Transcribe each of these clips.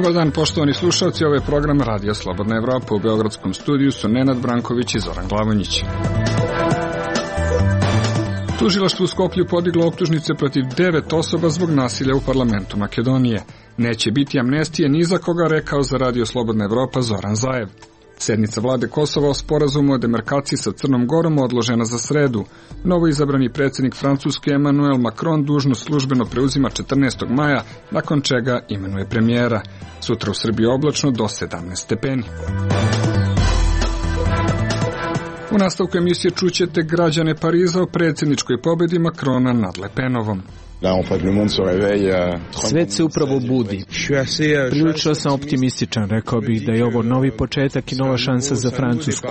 Dobar dan, poštovani slušalci, ovo je program Radio Slobodna Evropa. U beogradskom studiju su Nenad Branković i Zoran Glavonjić. Tužilaštvo u Skoplju podiglo optužnice protiv 9 osoba zbog nasilja u parlamentu Makedonije. Neće biti amnestije ni za koga, rekao za Radio Slobodna Evropa Zoran Zaev. Sednica vlade Kosova o sporazumu o demarkaciji sa Crnom Gorom odložena za sredu. Novo izabrani predsjednik Francuske Emmanuel Macron dužnost službeno preuzima 14. maja, nakon čega imenuje premijera. Sutra u Srbiji oblačno do 17 stepeni. U nastavku emisije čućete građane Pariza o predsjedničkoj pobjedi Macrona nad Le Penovom. Svet se upravo budi. Prilično sam optimističan, rekao bih da je ovo novi početak i nova šansa za Francusku.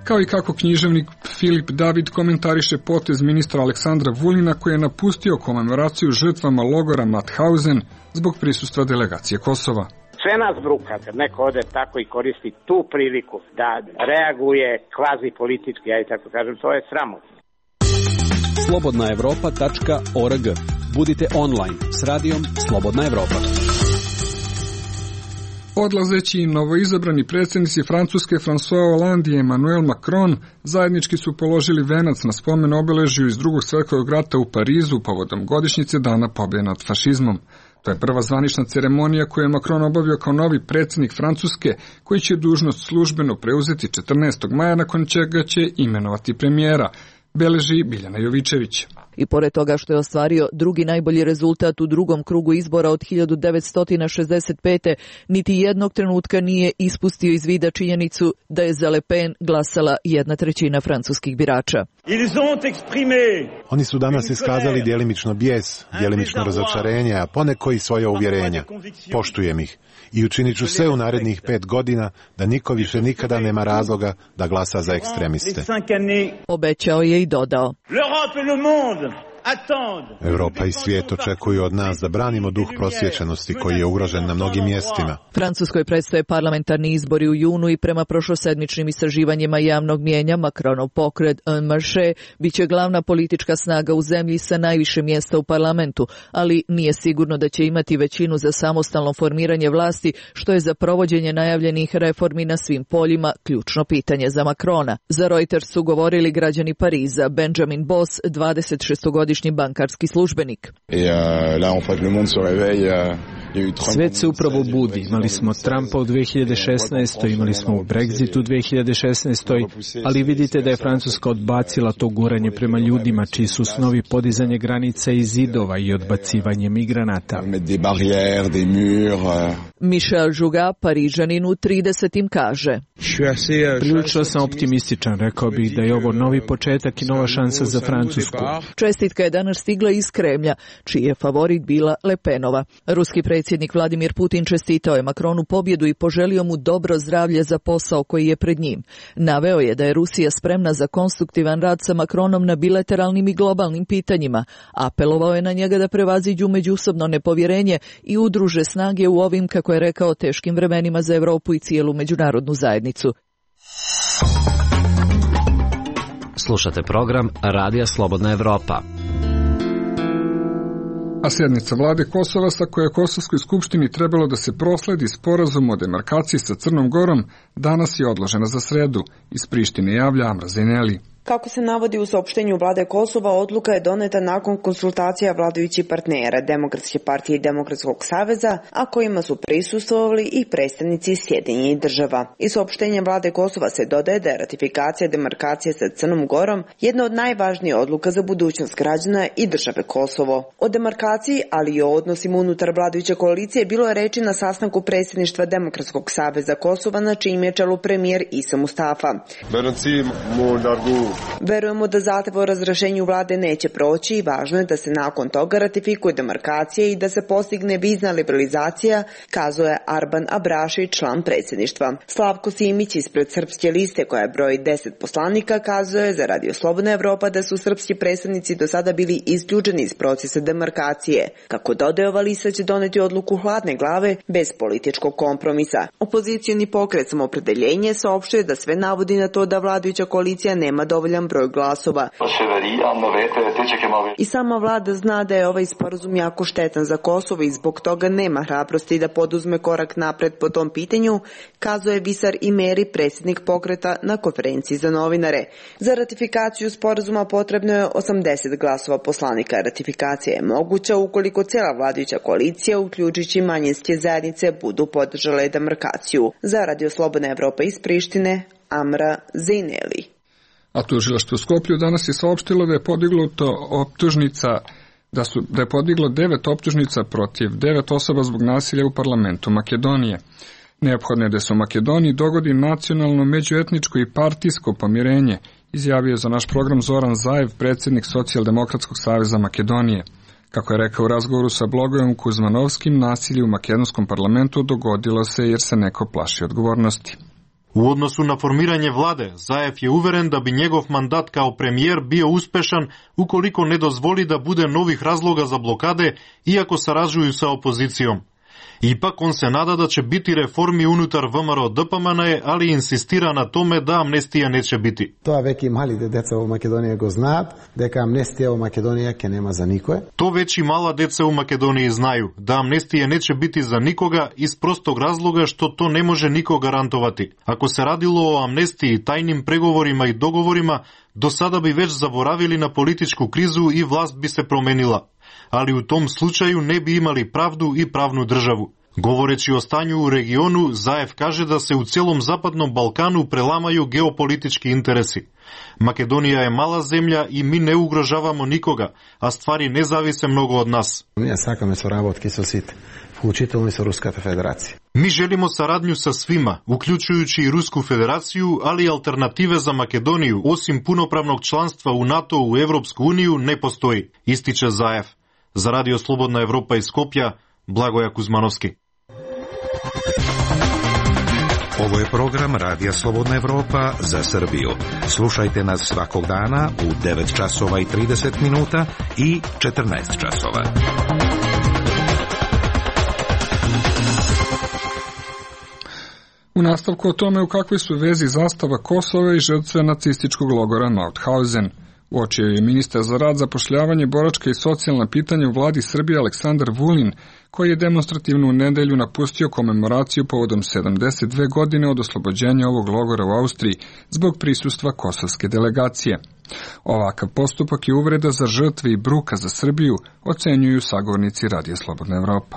Kao i kako književnik Filip David komentariše potez ministra Aleksandra Vulina koji je napustio komemoraciju žrtvama logora Mauthausen zbog prisustva delegacije Kosova. Sve nas bruka kad neko ode tako i koristi tu priliku da reaguje kvazi politički, ja i tako kažem, to je sramotno. Slobodnaevropa.org. Budite online s radijom Slobodna Evropa. Odlazeći novoizabrani predsjednici Francuske François Hollande i Emmanuel Macron zajednički su položili venac na spomen obeležju iz Drugog svjetskog rata u Parizu povodom godišnjice Dana pobjede nad fašizmom. To je prva zvanična ceremonija koju je Macron obavio kao novi predsjednik Francuske, koji će dužnost službeno preuzeti 14. maja, nakon čega će imenovati premijera, beleži Biljana Jovičević. I pored toga što je ostvario drugi najbolji rezultat u drugom krugu izbora od 1965. niti jednog trenutka nije ispustio iz vida činjenicu da je za Le Pen glasala 1/3 francuskih birača. Oni su danas iskazali djelimično bijes, djelimično razočarenje, a poneko i svoje uvjerenja. Poštujem ih i učinit ću sve u narednih 5 godina da niko više nikada nema razloga da glasa za ekstremiste. Obećao je i dodao: Europa i svijet očekuju od nas da branimo duh prosvjećenosti koji je ugrožen na mnogim mjestima. Francuskoj predstoje parlamentarni izbori u junu i prema prošlosedmičnim istraživanjima javnog mnijenja Macronov pokret En Marche biće glavna politička snaga u zemlji sa najviše mjesta u parlamentu, ali nije sigurno da će imati većinu za samostalno formiranje vlasti, što je za provođenje najavljenih reformi na svim poljima ključno pitanje za Macrona. Za Reuters su govorili građani Pariza. Benjamin Boss, 26-godišnji bankarski službenik. Svet se upravo budi. Imali smo Trumpa u 2016. Imali smo Brexit u 2016. Ali vidite da je Francuska odbacila to guranje prema ljudima, čiji su snovi podizanje granica i zidova i odbacivanje migranata. Michel Jouga, Parižanin u 30. kaže: Prilično sam optimističan, rekao bih da je ovo novi početak i nova šansa za Francusku. Čestitka je danas stigla iz Kremlja, čiji je favorit bila Le Penova. Ruski predsjednik Vladimir Putin čestitao je Macronu pobjedu i poželio mu dobro zdravlje za posao koji je pred njim. Naveo je da je Rusija spremna za konstruktivan rad sa Macronom na bilateralnim i globalnim pitanjima. Apelovao je na njega da prevaziđu međusobno nepovjerenje i udruže snage u ovim, kako je rekao, teškim vremenima za Europu i cijelu međunarodnu zajednicu. Slušate program Radija Slobodna Evropa. A sjednica vlade Kosova, sa koje je Kosovskoj skupštini trebalo da se prosledi sporazum o demarkaciji sa Crnom Gorom, danas je odložena za sredu. Iz Prištine javlja Amra Zeneli. Kako se navodi u saopštenju vlade Kosova, odluka je doneta nakon konsultacija vladajućih partnera Demokratske partije i Demokratskog saveza, a kojima su prisustvovali i predstavnici Sjedinjenih država. Iz saopštenja vlade Kosova se dodaje da je ratifikacija demarkacije sa Crnom Gorom jedna od najvažnijih odluka za budućnost građana i države Kosovo. O demarkaciji, ali i o odnosima unutar vladajuće koalicije bilo je reči na sastanku predsjedništva Demokratskog saveza Kosova, na čijem je čelu premijer Isa Mustafa. Verujemo da zahtev o razrješenju vlade neće proći i važno je da se nakon toga ratifikuje demarkacija i da se postigne vizna liberalizacija, kazuje Arban Abraši, član predsjedništva. Slavko Simić ispred Srpske liste, koja broji 10 poslanika, kazuje za Radio Slobodna Evropa da su srpski predstavnici do sada bili isključeni iz procesa demarkacije. Kako dodaje, ova lista će doneti odluku hladne glave bez političkog kompromisa. Opozicioni pokret Samoopredeljenje saopštuje da sve navodi na to da vladajuća koalicija nema dovoljno dovoljan broj glasova. I sama vlada zna da je ovaj sporazum jako štetan za Kosovo i zbog toga nema hrabrosti da poduzme korak napred po tom pitanju, kazuje Visar Imeri, predsjednik pokreta na konferenciji za novinare. Za ratifikaciju sporazuma potrebno je 80 glasova poslanika. Ratifikacija je moguća ukoliko cijela vladajuća koalicija, uključujući manjinske zajednice, budu podržale demarkaciju. Za Radio Slobodna Evropa iz Prištine, Amra Zejneli. A tužilaštvo u Skoplju danas je saopštilo da je podiglo 9 optužnica protiv 9 osoba zbog nasilja u parlamentu Makedonije. Neophodno je da se u Makedoniji dogodi nacionalno, međuetničko i partijsko pomirenje, izjavio za naš program Zoran Zaev, predsjednik Socijaldemokratskog saveza Makedonije. Kako je rekao u razgovoru sa blogerom Kuzmanovskim, nasilje u makedonskom parlamentu dogodilo se jer se neko plaši odgovornosti. U odnosu na formiranje vlade, Zaev je uveren da bi njegov mandat kao premijer bio uspešan ukoliko ne dozvoli da bude novih razloga za blokade, iako sarađuju sa opozicijom. Ipak on se nada da će biti reformi unutar VMRO DPMNE, ali insistira na tome da amnestija neće biti. To već i mali deca u Makedoniji go znat, deka amnestija u Makedoniji ke nema za nikoje. To već i mala deca u Makedoniji znaju, da amnestije neće biti za nikoga iz prostog razloga što to ne može niko garantovati. Ako se radilo o amnestiji, tajnim pregovorima i dogovorima, do sada bi već zaboravili na političku krizu i vlast bi se promenila. Ali u tom slučaju ne bi imali pravdu i pravnu državu. Govoreći o stanju u regionu, Zaev kaže da se u cijelom Zapadnom Balkanu prelamaju geopolitički interesi. Makedonija je mala zemlja i mi ne ugrožavamo nikoga, a stvari ne zavise mnogo od nas. Mi želimo saradnju sa svima, uključujući i Rusku federaciju, ali alternative za Makedoniju, osim punopravnog članstva u NATO u Evropsku uniju, ne postoji, ističe Zaev. Za Radio Slobodna Evropa iz Skopja, Blagoja Kuzmanovski. Ovo je program Radija Slobodna Evropa za Srbiju. Slušajte nas svakog dana u 9 časova i 30 minuta i 14 časova. U nastavku o tome u kakvoj su vezi zastava Kosova i žrtve nacističkog logora Mauthausen. Uočio je ministar za rad, zapošljavanje, boračka i socijalna pitanja u vladi Srbije Aleksandar Vulin, koji je demonstrativno u nedelju napustio komemoraciju povodom 72 godine od oslobođenja ovog logora u Austriji zbog prisustva kosovske delegacije. Ovakav postupak je uvreda za žrtve i bruka za Srbiju, ocenjuju sagovornici Radija Slobodna Evropa.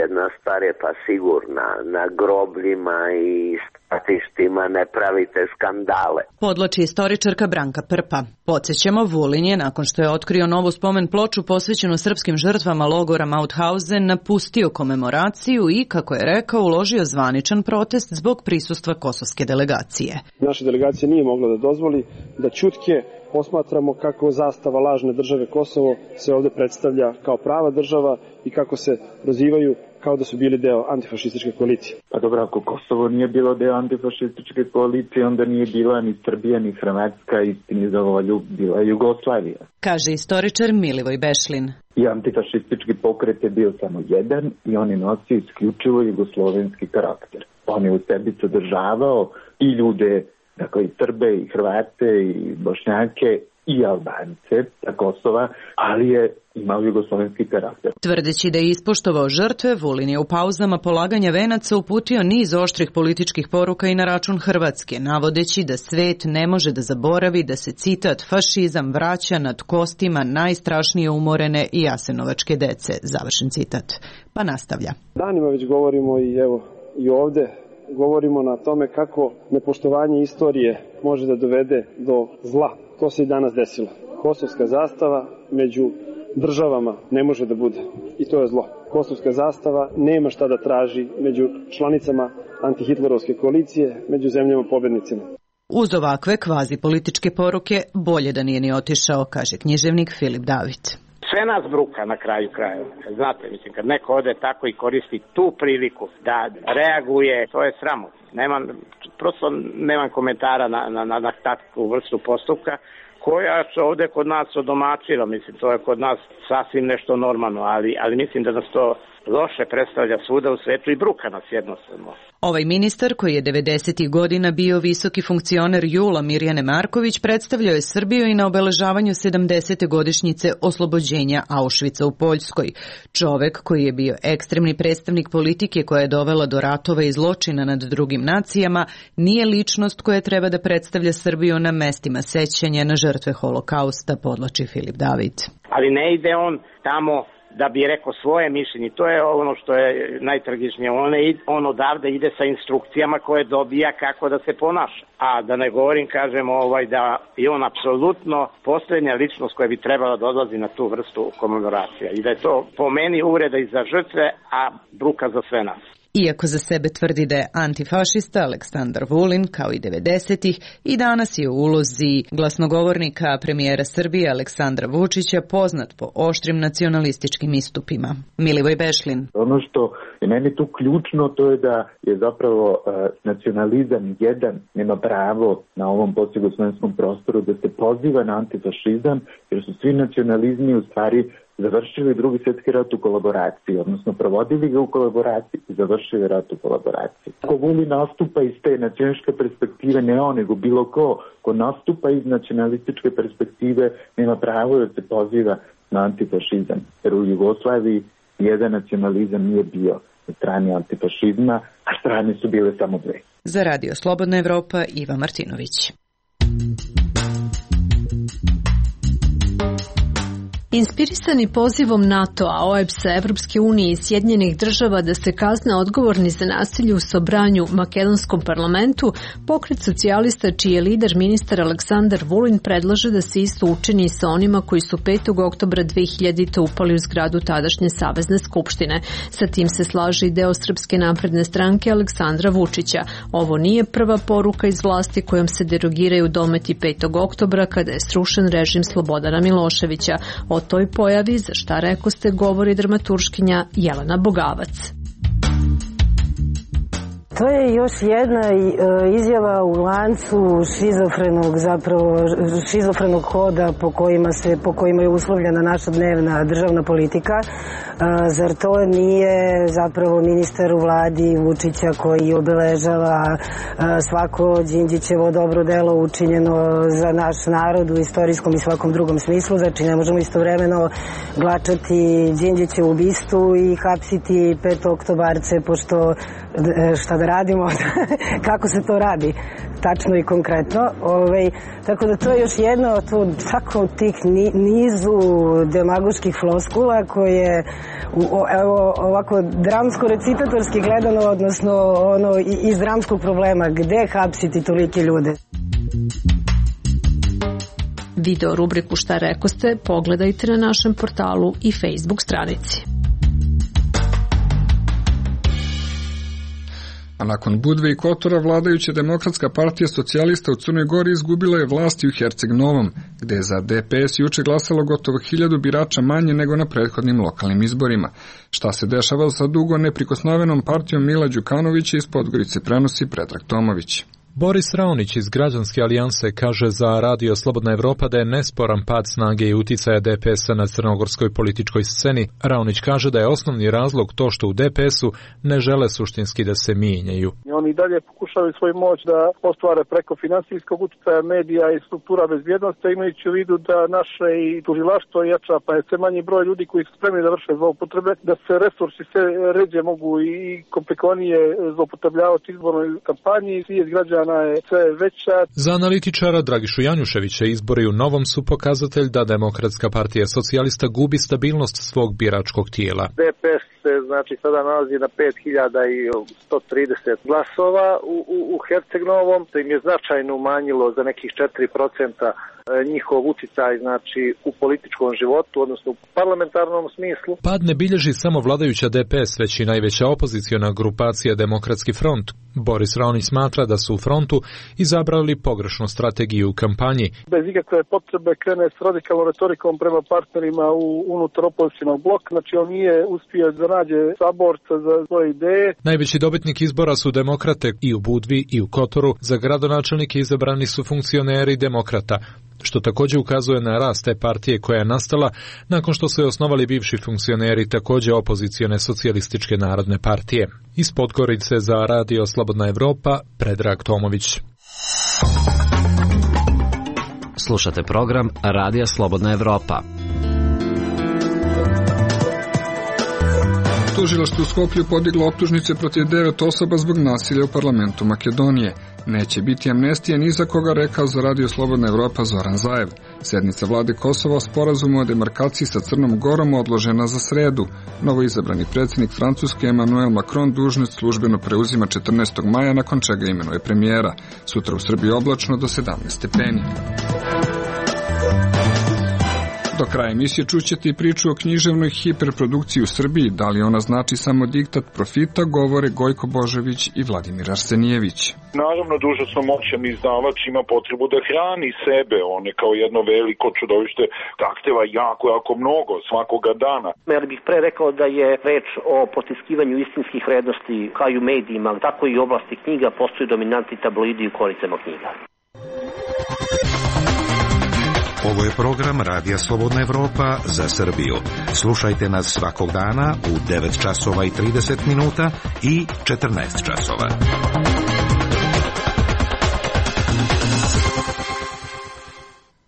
Jedna stvar je pa sigurna, na grobljima i stratištima ne pravite skandale. Podlači istoričarka Branka Prpa. Podsjećamo, Vulin je, nakon što je otkrio novu spomen ploču posvećenu srpskim žrtvama logora Mauthausen, napustio komemoraciju i, kako je rekao, uložio zvaničan protest zbog prisustva kosovske delegacije. Naša delegacija nije mogla da dozvoli da ćutke posmatramo kako zastava lažne države Kosovo se ovde predstavlja kao prava država i kako se prozivaju kao da su bili deo antifašističke koalicije. Pa dobro, ako Kosovo nije bilo deo antifašističke koalicije, onda nije bila ni Srbija, ni Hrvatska, istini za volju bila Jugoslavija. Kaže istoričar Milivoj Bešlin. I antifašistički pokret je bio samo jedan i on je nosio isključivo jugoslovenski karakter. On je u sebi sadržavao i ljude, dakle i Srbe, i Hrvate, i Bošnjake, i Albance sa Kosova, ali je imao jugoslovenski karakter. Tvrdeći da je ispoštovao žrtve, Vulin je u pauzama polaganja venaca uputio niz oštrih političkih poruka i na račun Hrvatske, navodeći da svet ne može da zaboravi da se, citat, fašizam vraća nad kostima najstrašnije umorene i jasenovačke dece, završen citat. Pa nastavlja. Danima već govorimo i evo i ovde govorimo na tome kako nepoštovanje istorije može da dovede do zla. To se i danas desilo. Kosovska zastava među državama ne može da bude. I to je zlo. Kosovska zastava nema šta da traži među članicama antihitlerovske koalicije, među zemljama pobednicima. Uz ovakve kvazi političke poruke bolje da nije ni otišao, kaže književnik Filip David. Sve nas bruka na kraju krajeva. Znate, mislim, kad neko ode tako i koristi tu priliku da reaguje, to je sramotno. Nemam komentara na takvu vrstu postupka koja se ovde kod nas odomačila. Mislim, to je kod nas sasvim nešto normalno, ali mislim da nas to loše predstavlja svuda u svetu i bruka nas jednostavno. Ovaj ministar, koji je 90. godina bio visoki funkcioner JUL-a Mirjane Marković, predstavljao je Srbiju i na obeležavanju 70. godišnjice oslobođenja Auschwitza u Poljskoj. Čovek koji je bio ekstremni predstavnik politike koja je dovela do ratova i zločina nad drugim nacijama, nije ličnost koja treba da predstavlja Srbiju na mestima sećanja na žrtve holokausta, podvlači Filip David. Ali ne ide on tamo da bi rekao svoje mišljenje. To je ono što je najtragičnije. On odavde ide sa instrukcijama koje dobija kako da se ponaša. A da ne govorim, kažem, da je on apsolutno posljednja ličnost koja bi trebala da odlazi na tu vrstu komemoracija. I da je to po meni uvreda i za žrtve, a bruka za sve nas. Iako za sebe tvrdi da je antifašista, Aleksandar Vulin, kao i 90-ih, i danas je u ulozi glasnogovornika premijera Srbije Aleksandra Vučića poznat po oštrim nacionalističkim istupima. Milivoj Bešlin. Ono što je meni tu ključno, to je da je zapravo nacionalizam jedan nema pravo na ovom postjugoslovenskom prostoru da se poziva na antifašizam, jer su svi nacionalizmi u stvari završili Drugi svjetski rat u kolaboraciji, odnosno provodili ga u kolaboraciji i završili rat u kolaboraciji. Ako Vulin nastupa iz te nacionalističke perspektive, ne on, nego bilo ko nastupa iz nacionalističke perspektive, nema pravo da se poziva na antifašizam. Jer u Jugoslaviji jedan nacionalizam nije bio na strani antifašizma, a strane su bile samo dve. Za Radio Slobodna Evropa, Iva Martinović. Inspirisani pozivom NATO-a, OEBS-a, Evropske unije i Sjedinjenih država da se kazne odgovorni za nasilje u Sobranju makedonskom parlamentu, pokret socijalista čiji je lider ministar Aleksandar Vulin predlaže da se isto učini sa onima koji su 5. oktobra 2000. upali u zgradu tadašnje Savezne skupštine. Sa tim se slaže i deo Srpske napredne stranke Aleksandra Vučića. Ovo nije prva poruka iz vlasti kojom se derogiraju dometi 5. oktobra kada je srušen režim Slobodana Miloševića. O toj pojavi, za šta rekoste, govori dramaturškinja Jelena Bogavac. To je još jedna izjava u lancu šizofrenog hoda po kojima je uslovljena naša dnevna državna politika. Zar to nije zapravo ministar u vladi Vučića koji obeležava svako Đinđićevo dobro delo učinjeno za naš narod u istorijskom i svakom drugom smislu? Znači ne možemo istovremeno glačati Đinđićevu bistu i hapsiti 5. oktobarce, pošto šta da radimo, kako se to radi tačno i konkretno. Tako da to je još jedno od tih nizu demagoških floskula koje ovako dramsko-recitatorski gledano, odnosno iz dramskog problema, gde hapsiti tolike ljude. Video rubriku Šta rekoste pogledajte na našem portalu i Facebook stranici. A nakon Budve i Kotora, vladajuća Demokratska partija socijalista u Crnoj Gori izgubila je vlasti u Herceg Novom, gde je za DPS juče glasalo gotovo 1000 birača manje nego na prethodnim lokalnim izborima. Šta se dešava sa dugo neprikosnovenom partijom Mila Đukanovića, iz Podgorice prenosi Predrag Tomović. Boris Raonić iz Građanske alijanse kaže za Radio Slobodna Evropa da je nesporan pad snage i uticaja DPS-a na crnogorskoj političkoj sceni. Raonić kaže da je osnovni razlog to što u DPS-u ne žele suštinski da se mijenjaju. Oni dalje pokušavaju svoju moć da ostvare preko finansijskog uticaja medija i struktura bezbjednosti, imajući u vidu da naše i tužilaštvo jača, pa je sve manji broj ljudi koji su spremni da vrše zloupotrebe, da se resursi sve ređe mogu i komplikovanije zloupotrebljavati u izbornoj kampanji, svijest građana je sve veća. Za analitičara Dragišu Janjuševića izbori u Novom su pokazatelj da Demokratska partija socijalista gubi stabilnost svog biračkog tijela. DPS se sada nalazi na 5130 glasova u Herceg Novom, to im je značajno umanjilo za nekih 4% njihov uticaj u političkom životu, odnosno u parlamentarnom smislu. Pad ne bilježi samo vladajuća DPS, već i najveća opoziciona grupacija Demokratski front. Boris Raonić smatra da su u frontu izabrali pogrešnu strategiju u kampanji. Bez ikakve potrebe krene s radikalnom retorikom prema partnerima unutar opozicionog bloka, on nije uspio da nađe saborca za svoje ideje. Najveći dobitnik izbora su demokrate i u Budvi i u Kotoru. Za gradonačelnike izabrani su funkcioneri demokrata, što također ukazuje na rast te partije koja je nastala nakon što su je osnovali bivši funkcioneri također opozicione socijalističke narodne partije. Iz Podgorice za Radio Slobodna Evropa, Predrag Tomović. Slušate program Radija Slobodna Evropa. Tužilaštvo u Skoplju podiglo optužnice protiv 9 osoba zbog nasilja u parlamentu Makedonije. Neće biti amnestije ni za koga, rekao za Radio Slobodna Evropa Zoran Zaev. Sednica vlade Kosova o sporazumu o demarkaciji sa Crnom Gorom odložena za sredu. Novoizabrani predsjednik Francuske Emmanuel Macron dužnost službeno preuzima 14. maja, nakon čega imenuje premijera. Sutra u Srbiji oblačno do 17 stepeni. Do kraja emisije čućete i priču o književnoj hiperprodukciji u Srbiji. Da li ona znači samo diktat profita, govore Gojko Božović i Vladimir Arsenijević. Naravno, dužnosno moćan izdavač ima potrebu da hrani sebe. On je kao jedno veliko čudovište, zahteva jako mnogo svakoga dana. Ja bih pre rekao da je reč o potiskivanju istinskih vrednosti kao i u medijima, tako i u oblasti knjiga postoji dominantni tabloidi u koricama knjiga. Ovo je program Radija Slobodna Evropa za Srbiju. Slušajte nas svakog dana u 9 časova i 30 minuta i 14 časova.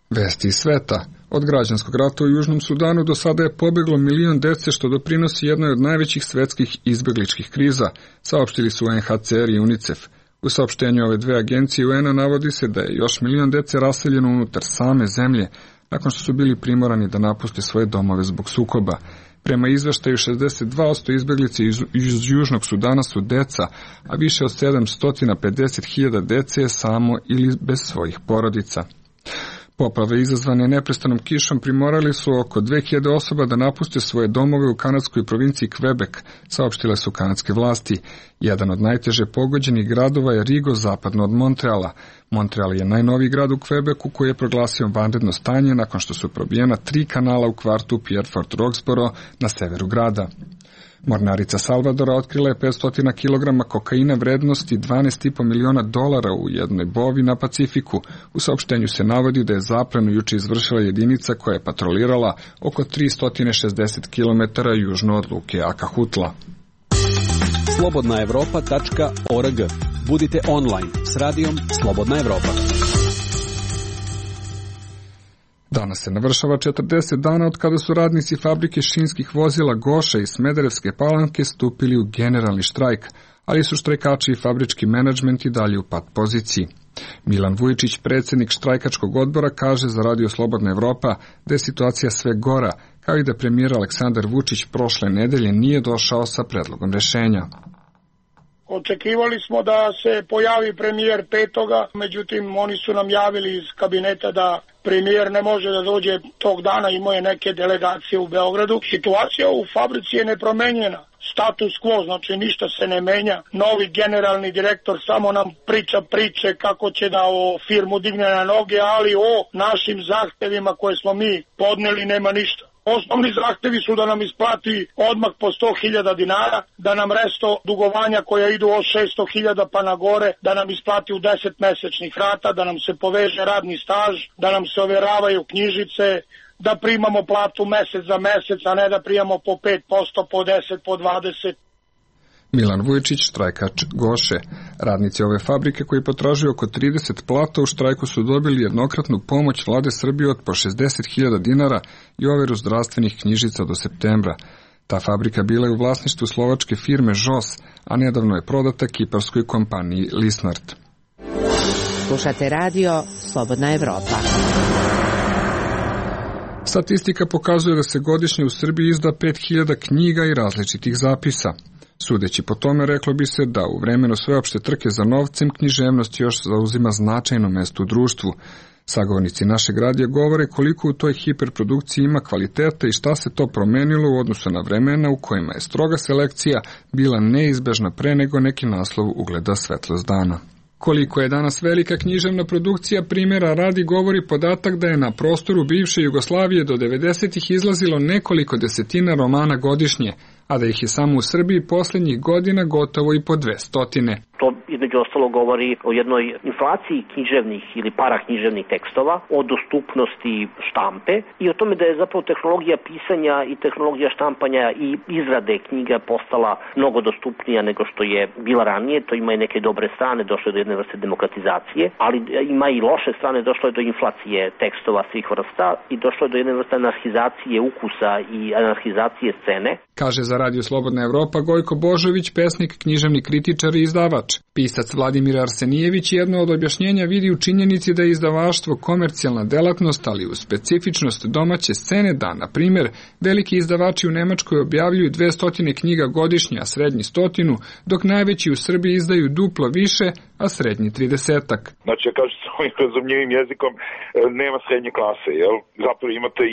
Vesti iz sveta. Od građanskog rata u Južnom Sudanu do sada je pobjeglo 1 milion dece, što doprinosi jednoj od najvećih svetskih izbegličkih kriza, saopštili su UNHCR i UNICEF. U saopštenju ove dve agencije UN-a navodi se da je još 1 milion dece raseljeno unutar same zemlje, nakon što su bili primorani da napuste svoje domove zbog sukoba. Prema izveštaju, 62% izbeglice iz Južnog Sudana su deca, a više od 750.000 dece je samo ili bez svojih porodica. Poplave izazvane neprestanom kišom primorali su oko 2000 osoba da napuste svoje domove u kanadskoj provinciji Quebec, saopštile su kanadske vlasti. Jedan od najteže pogođenih gradova je Rigo, zapadno od Montreala. Montreal je najnoviji grad u Quebecu koji je proglasio vanredno stanje nakon što su probijena 3 kanala u kvartu Pierrefort Roxborough na severu grada. Mornarica Salvadora otkrila je 500 kg kokaina vrednosti $12,5 miliona u jednoj bovi na Pacifiku. U saopštenju se navodi da je zaplenu juče izvršila jedinica koja je patrolirala oko 360 km južno od luke Akahutla. slobodnaevropa.org. Budite online s radijom Slobodna Evropa. Danas se navršava 40 dana od kada su radnici fabrike šinskih vozila Goša iz Smederevske Palanke stupili u generalni štrajk, ali su štrajkači i fabrički menadžment i dalje u pat poziciji. Milan Vujčić, predsjednik štrajkačkog odbora, kaže za Radio Slobodna Evropa da je situacija sve gora, kao i da premijer Aleksandar Vučić prošle nedelje nije došao sa predlogom rješenja. Očekivali smo da se pojavi premijer 5. Međutim oni su nam javili iz kabineta da premijer ne može da dođe tog dana, imao je neke delegacije u Beogradu. Situacija u fabrici je nepromenjena. Status quo, znači ništa se ne menja. Novi generalni direktor samo nam priča priče kako će da o firmu digne na noge, ali o našim zahtevima koje smo mi podneli nema ništa. Osnovni zahtevi su da nam isplati odmah po 100.000 dinara, da nam resto dugovanja koja idu od 600.000 pa na gore, da nam isplati u 10 mesečnih rata, da nam se poveže radni staž, da nam se overavaju knjižice, da primamo platu mesec za mesec, a ne da primamo po 5%, po 10, po 20%. Milan Vujčić, štrajkač Goše. Radnici ove fabrike koji potražuju oko 30 plata u štrajku su dobili jednokratnu pomoć vlade Srbije od po 60.000 dinara i overu zdravstvenih knjižica do septembra. Ta fabrika bila je u vlasništvu slovačke firme ŽOS, a nedavno je prodata kiparskoj kompaniji Lisnard. Slušate radio Slobodna Evropa. Statistika pokazuje da se godišnje u Srbiji izda 5.000 knjiga i različitih zapisa. Sudeći po tome, reklo bi se da u vremenu sveopšte trke za novcem književnost još zauzima značajno mesto u društvu. Sagovornici našeg radija govore koliko u toj hiperprodukciji ima kvaliteta i šta se to promenilo u odnosu na vremena u kojima je stroga selekcija bila neizbežna pre nego neki naslov ugleda svetlost dana. Koliko je danas velika književna produkcija, primjera radi govori podatak da je na prostoru bivše Jugoslavije do 90-ih izlazilo nekoliko desetina romana godišnje, a da ih je samo u Srbiji posljednjih godina gotovo i po 200. To između ostalo govori o jednoj inflaciji književnih ili paraknjiževnih tekstova, o dostupnosti štampe i o tome da je zapravo tehnologija pisanja i tehnologija štampanja i izrade knjiga postala mnogo dostupnija nego što je bila ranije. To ima i neke dobre strane, došlo je do jedne vrste demokratizacije, ali ima i loše strane, došlo je do inflacije tekstova svih vrsta i došlo je do jedne vrste anarhizacije ukusa i anarhizacije scene. Kaže za Radio Slobodna Evropa Gojko Božović, pesnik, književni kritičar i izdavač. Pisac Vladimir Arsenijević jedno od objašnjenja vidi u činjenici da je izdavaštvo komercijalna delatnost, ali u specifičnost domaće scene da, na primjer, veliki izdavači u Nemačkoj objavljuju 200 knjiga godišnje, a srednji 100, dok najveći u Srbiji izdaju duplo više, a srednji 30-ak. Znači, ja kažem svojim razumljivim jezikom, nema srednje klase, jel? Zapravo imate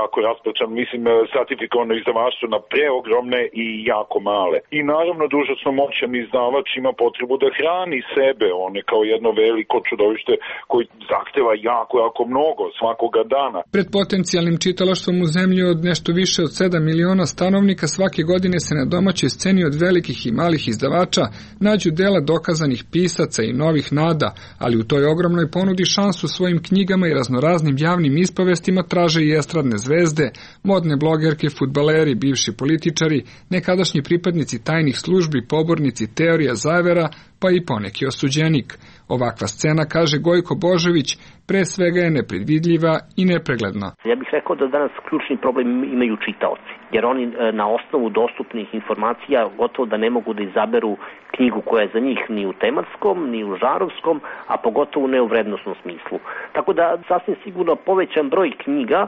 jako rasprečan, mislim, stratifikovano izdavaštvo na preogromne i jako male. I naravno, užasno moćan izdavač ima potrebu da hrani sebe, one kao jedno veliko čudovište koji zahteva jako mnogo svakoga dana. Pred potencijalnim čitalaštvom u zemlji od nešto više od 7 miliona stanovnika svake godine se na domaćoj sceni od velikih i malih izdavača nađu dela dokazanih pisaca i novih nada, ali u toj ogromnoj ponudi šansu svojim knjigama i raznoraznim javnim ispovestima traže i estradne zvezde, modne blogerke, fudbaleri, bivši političari, nekadašnji pripadnici tajnih službi, pobornici teorija zavera, pa i poneki osuđenik. Ovakva scena, kaže Gojko Božović, pre svega je nepredvidljiva i nepregledna. Ja bih rekao da danas ključni problem imaju čitaoci, jer oni na osnovu dostupnih informacija gotovo da ne mogu da izaberu knjigu koja je za njih ni u tematskom, ni u žarovskom, a pogotovo ne u vrednosnom smislu. Tako da sasvim sigurno povećan broj knjiga,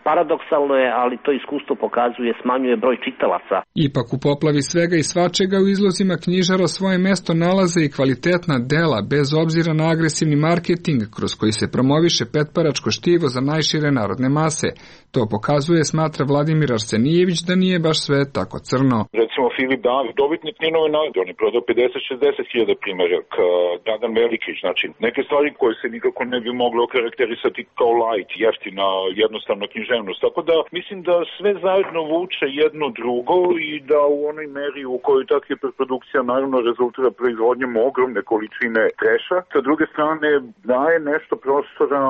paradoksalno je, ali to iskustvo pokazuje, smanjuje broj čitalaca. Ipak u poplavi svega i svačega u izlozima knjižara svoje mesto nalaze i kvalitetna dela, bez obzira na agresivni marketing kroz koji se promoviše petparačko štivo za najšire narodne mase. To pokazuje, smatra Vladimir Arsenijević, da nije baš sve tako crno. Recimo Filip David, dobitnik Ninove nagrade, on je prodao 50-60 hiljada primjeraka, Dragan Velikić, znači neke stvari koje se nikako ne bi moglo okarakterisati kao light, jeftina, jednostavno književnost. Tako da mislim da sve zajedno vuče jedno drugo i da u onoj meri u kojoj ta hiperprodukcija naravno rezultira proizvodnjom ogromne količine treša, sa druge strane daje nešto prostora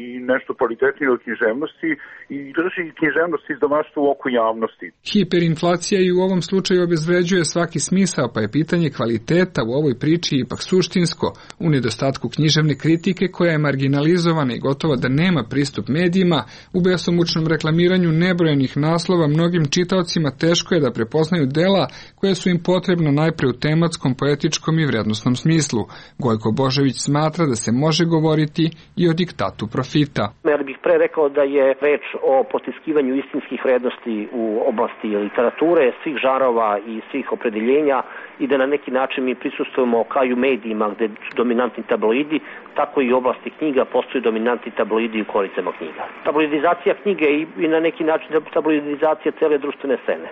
i nešto kvalitetnije od književnosti i drži književnost izdavaštva u oku javnosti. Hiperinflacija i u ovom slučaju obezvređuje svaki smisao, pa je pitanje kvaliteta u ovoj priči ipak suštinsko, u nedostatku književne kritike koja je marginalizovana i gotovo da nema pristup medijima, u besomučnom reklamiranju nebrojenih naslova mnogim čitaocima teško je da prepoznaju dela koje su im potrebna najpre u tematskom, poetičkom i vrednosnom smislu. Gojko Božović smatra da se može govoriti i o diktatu profita. Ja bih pre rekao da je reč o potiskivanju istinskih vrednosti u oblasti literature, svih žarova i svih opredeljenja i da na neki način mi prisustvujemo kao i u medijima gde dominantni tabloidi, tako i u oblasti knjiga postoji dominantni tabloidi u koricama knjiga. Tabloidizacija knjige i na neki način tabloidizacija cele društvene scene.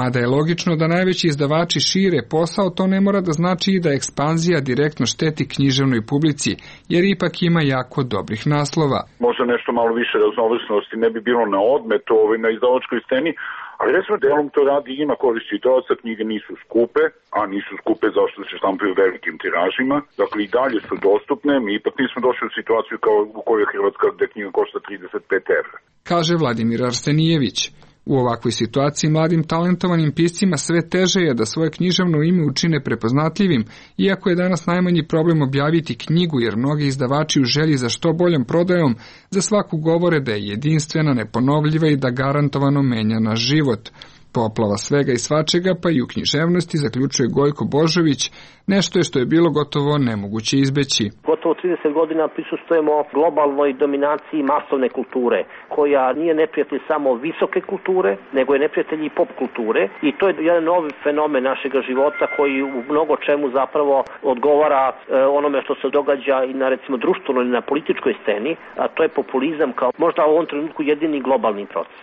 Mada je logično da najveći izdavači šire posao, to ne mora da znači i da ekspanzija direktno šteti književnoj publici, jer ipak ima jako dobrih naslova. Možda nešto malo više raznovrsnosti ne bi bilo na odmet na izdavačkoj sceni, ali recimo delom to radi ima korist čitaoca, knjige nisu skupe, a nisu skupe zašto se štampaju velikim tiražima, dakle i dalje su dostupne, mi ipak nismo došli u situaciju kao u kojoj je Hrvatska gde knjiga košta 35 evra. Kaže Vladimir Arsenijević. U ovakvoj situaciji mladim talentovanim piscima sve teže je da svoje književno ime učine prepoznatljivim, iako je danas najmanji problem objaviti knjigu, jer mnogi izdavači u želji za što boljom prodajom za svaku govore da je jedinstvena, neponovljiva i da garantovano menja naš život. Poplava svega i svačega, pa i u književnosti, zaključuje Gojko Božović, nešto je što je bilo gotovo nemoguće izbeći. Gotovo 30 godina prisustvujemo globalnoj dominaciji masovne kulture, koja nije neprijatelj samo visoke kulture, nego je neprijatelj i pop kulture i to je jedan novi fenomen našega života koji u mnogo čemu zapravo odgovara onome što se događa i na recimo društvenoj i na političkoj sceni, a to je populizam kao možda u ovom trenutku jedini globalni proces.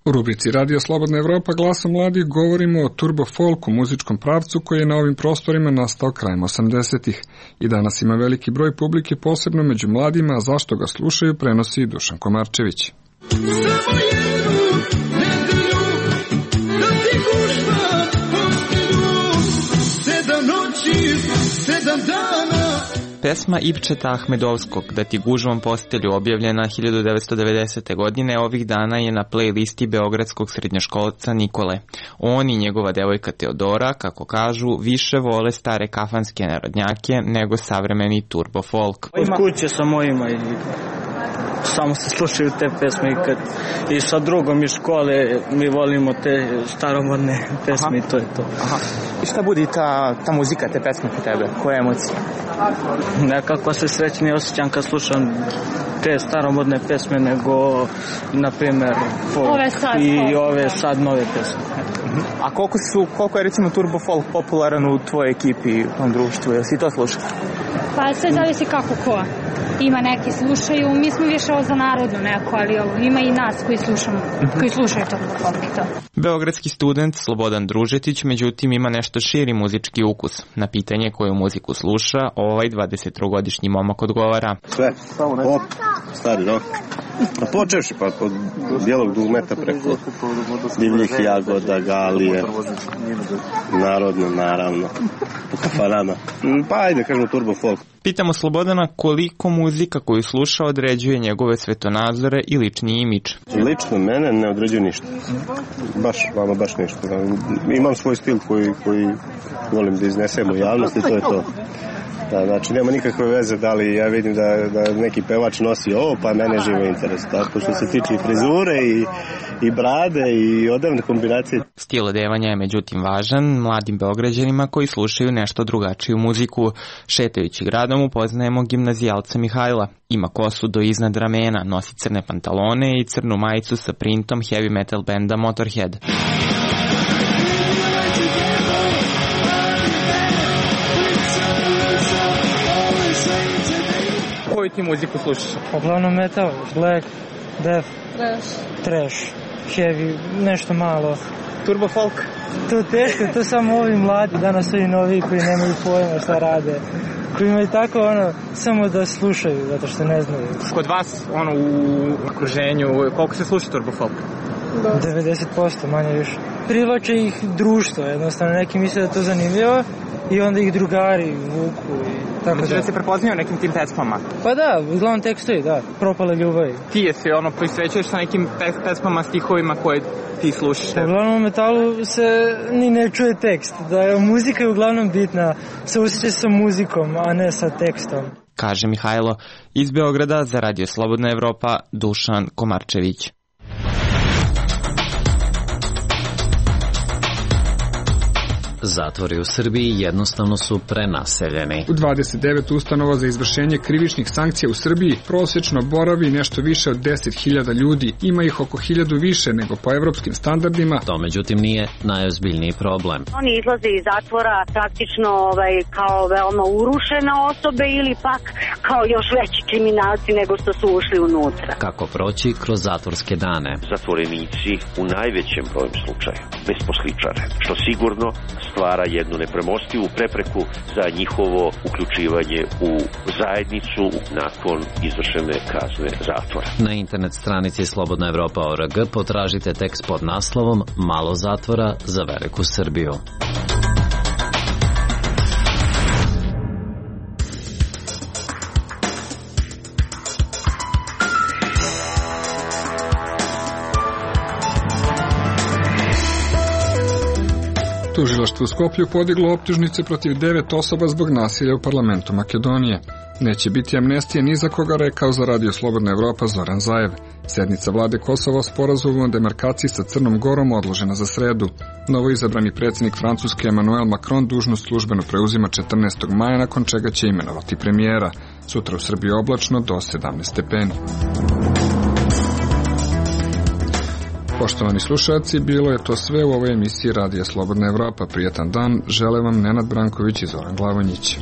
U rubrici Radio Slobodna Evropa glasom mladih govorimo o turbo folku, muzičkom pravcu koji je na ovim prostorima nastao krajem 80-ih. I danas ima veliki broj publike, posebno među mladima, a zašto ga slušaju prenosi Dušan Komarčević. Samo jednu nedjelju, da ti noći, 7 dana. Pesma Ipčeta Ahmedovskog Da ti gužvom postelju, objavljena 1990. godine, ovih dana je na playlisti beogradskog srednjoškolca Nikole. On i njegova devojka Teodora, kako kažu, više vole stare kafanske narodnjake nego savremeni turbo folk. Od kuće sa mojima i samo se slušaju te pesme i sa drugom iz škole mi volimo te staromodne pesme i to je to. Aha. I šta budi ta muzika, te pesme kod tebe? Koje emocije? Nekako se srećnije osjećam kad slušam te staromodne pesme nego, na primjer, folk i ove sad nove pesme. A koliko je recimo turbo folk popularan u tvojoj ekipi, u tom društvu? Jel si to slušao? Pa sve zavisi kako ko. Ima neki slušaju, mi smo više ovo za narodnu neko, ali ima i nas koji slušaju turbo folk i to. Beogradski student Slobodan Družetić, međutim, ima nešto širi muzički ukus. Na pitanje koju muziku sluša, ovaj 23-godišnji momak odgovara. Sve, pop, stari rock. Počevši pa od bijelog dugmeta preko divljih jagoda, galije, narodno, naravno, po kafanama. Pa ajde, kažemo turbo folk. Pitamo Slobodana koliko muzika koju sluša određuje njegove svetonazore i lični imidž. Lično mene ne određuje ništa. Baš ništa. Imam svoj stil koji volim da iznesem u javnosti, to je to. Da, znači nema nikakve veze da li ja vidim da neki pevač nosi ovo, pa mene živo interes. Tako što se tiče i frizure i brade i odevne kombinacije. Stil odevanja je međutim važan mladim Beograđanima koji slušaju nešto drugačiju muziku. Šetajući gradom upoznajemo gimnazijalca Mihajla. Ima kosu do iznad ramena, nosi crne pantalone i crnu majicu sa printom heavy metal benda Motorhead. Koju ti muziku slušaš? Uglavnom metal, black, death, trash, heavy, nešto malo. Turbo folk? To teško, to samo ovi mladi, danas ovi novi koji nemaju pojma šta rade. Koji imaju tako samo da slušaju, zato što ne znaju. Kod vas, u okruženju, koliko se sluša turbo folk? 90%, manje više. Privlače ih društvo, jednostavno neki misle da je to zanimljivo i onda ih drugari vuku i tako da se prepoznaju nekim tim pesmama? Pa da, uglavnom tekstovi, da, propale ljubavi. Ti je se prisvećuješ sa nekim pesmama, stihovima koje ti slušaš? Uglavnom u metalu se ni ne čuje tekst, muzika je uglavnom bitna, se osjeća sa muzikom, a ne sa tekstom. Kaže Mihajlo. Iz Beograda za Radio Slobodna Evropa, Dušan Komarčević. Zatvori u Srbiji jednostavno su prenaseljeni. U 29 ustanova za izvršenje krivičnih sankcija u Srbiji prosječno boravi nešto više od 10.000 ljudi. Ima ih oko 1.000 više nego po evropskim standardima. To međutim nije najozbiljniji problem. Oni izlaze iz zatvora praktično kao veoma urušene osobe ili pak kao još veći kriminalci nego što su ušli unutra. Kako proći kroz zatvorske dane? Zatvorenici u najvećem broju slučaja besposličare, što sigurno stvara jednu nepremostivu prepreku za njihovo uključivanje u zajednicu nakon izvršene kazne zatvora. Na internet stranici slobodnaevropa.org potražite tekst pod naslovom Malo zatvora za veliku Srbiju. Tužilaštvo u Skoplju podiglo optužnice protiv 9 osoba zbog nasilja u parlamentu Makedonije. Neće biti amnestije ni za koga, rekao za Radio Slobodna Evropa Zoran Zaev. Sednica vlade Kosova o sporazumu o demarkaciji sa Crnom Gorom odložena za sredu. Novoizabrani predsjednik Francuske Emmanuel Macron dužnost službeno preuzima 14. maja, nakon čega će imenovati premijera. Sutra u Srbiji oblačno do 17 stepeni. Poštovani slušalci, bilo je to sve u ovoj emisiji Radija Slobodna Evropa. Prijetan dan, žele vam Nenad Branković i Zoran Glavonjić.